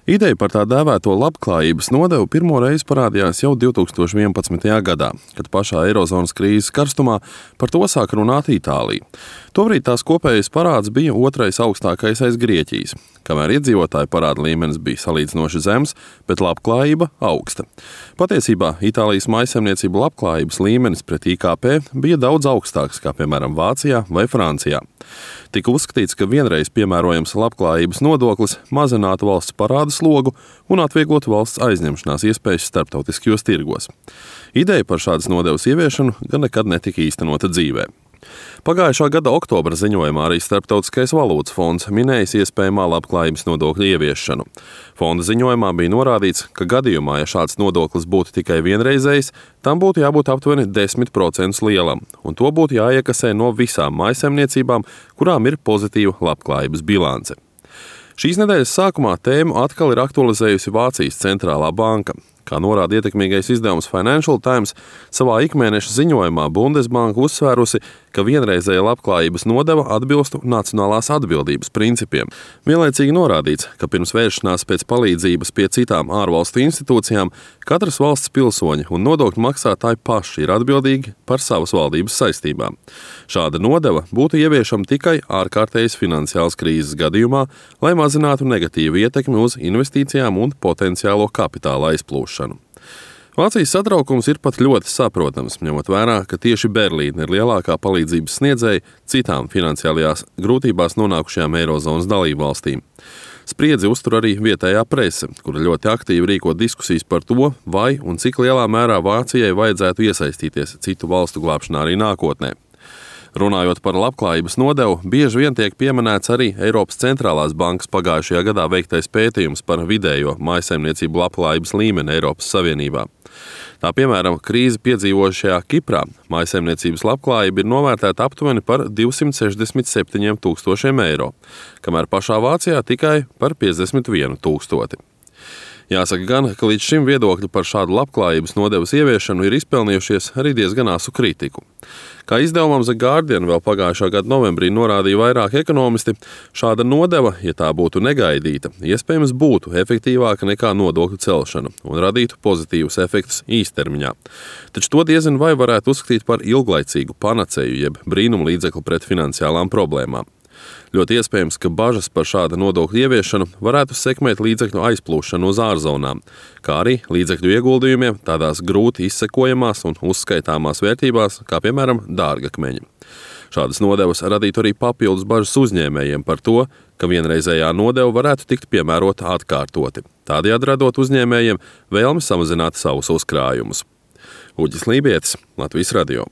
Ideja par tā dēvēto labklājības nodevu pirmo reizi parādījās jau 2011. gadā, kad pašā eirozonas krīzes karstumā par to sāka runāt Itālija. Tobrīd tās kopējais parāds bija otrais augstākais aiz Grieķijas, kamēr iedzīvotāju parāda līmenis bija salīdzinoši zems, bet labklājība augsta. Patiesībā Itālijas mājsaimniecību labklājības līmenis pret IKP bija daudz augstāks, kā piemēram Vācijā vai Francijā. Tika uzskatīts, ka vienreiz piemērojams labklājības nodoklis mazinātu valsts parāda slogu un atvieglotu valsts aizņemšanās iespējas starptautiskajos tirgos. Ideja par šādas nodevas ieviešanu gan nekad netika īstenota dzīvē. Pagājušā gada oktobra ziņojumā arī Starptautiskais valūtas fonds minējis iespējamā labklājības nodokļa ieviešanu. Fonda ziņojumā bija norādīts, ka gadījumā, ja šāds nodoklis būtu tikai vienreizējs, tam būtu jābūt aptuveni 10% lielam, un to būtu jāiekasē no visām mājsaimniecībām, kurām ir pozitīva labklājības bilance. Šīs nedēļas sākumā tēmu atkal ir aktualizējusi Vācijas centrālā banka. Kā norāda ietekmīgais izdevums Financial Times, savā ikmēneša ziņojumā Bundesbanka uzsvērusi, ka vienreizēja labklājības nodeva atbilstu nacionālās atbildības principiem. Vienlaicīgi norādīts, ka pirms vēršanās pēc palīdzības pie citām ārvalstu institūcijām katras valsts pilsoņi un nodokļu maksātāji paši ir atbildīgi par savas valdības saistībām. Šāda nodeva būtu ieviešama tikai ārkārtējas finansiālas krīzes gadījumā, lai mazinātu negatīvu ietekmi uz investīcijām un potenciālo kapitāla aizplūšanu. Vācijas satraukums ir pat ļoti saprotams, ņemot vērā, ka tieši Berlīne ir lielākā palīdzības sniedzēja citām finansiālajās grūtībās nonākušajām eirozonas dalībvalstīm. Spriedzi uztur arī vietējā prese, kura ļoti aktīvi rīko diskusijas par to, vai un cik lielā mērā Vācijai vajadzētu iesaistīties citu valstu glābšanā arī nākotnē. Runājot par labklājības nodevu, bieži vien tiek pieminēts arī Eiropas centrālās bankas pagājušajā gadā veiktais pētījums par vidējo mājsaimniecību labklājības līmeni Eiropas Savienībā. Tā piemēram, krīzi piedzīvojušajā Kiprā mājsaimniecības labklājība ir novērtēta aptuveni par 267 000 eiro, kamēr pašā Vācijā tikai par 51 000. Jāsaka gan, ka līdz šim viedokļi par šādu labklājības nodevas ieviešanu ir izpelnījušies arī diezgan asu kritiku. Kā izdevumam The Guardian vēl pagājušā gada novembrī norādīja vairāki ekonomisti, šāda nodeva, ja tā būtu negaidīta, iespējams būtu efektīvāka nekā nodokļu celšana un radītu pozitīvus efektus īstermiņā. Taču to diezin vai varētu uzskatīt par ilglaicīgu panacēju jeb brīnumu līdzekli pret finansiālām problēmām. Ļoti iespējams, ka bažas par šāda nodokļa ieviešanu varētu sekmēt līdzekļu aizplūšanu uz ārzonām, kā arī līdzekļu ieguldījumiem tādās grūti izsekojamās un uzskaitāmās vērtībās, kā piemēram dārgakmeņi. Šādas nodevas radītu arī papildus bažas uzņēmējiem par to, ka vienreizējā nodeva varētu tikt piemērota atkārtoti, tādējādi radot uzņēmējiem vēlmi samazināt savus uzkrājumus. Uģis Lībietis, Latvijas radio.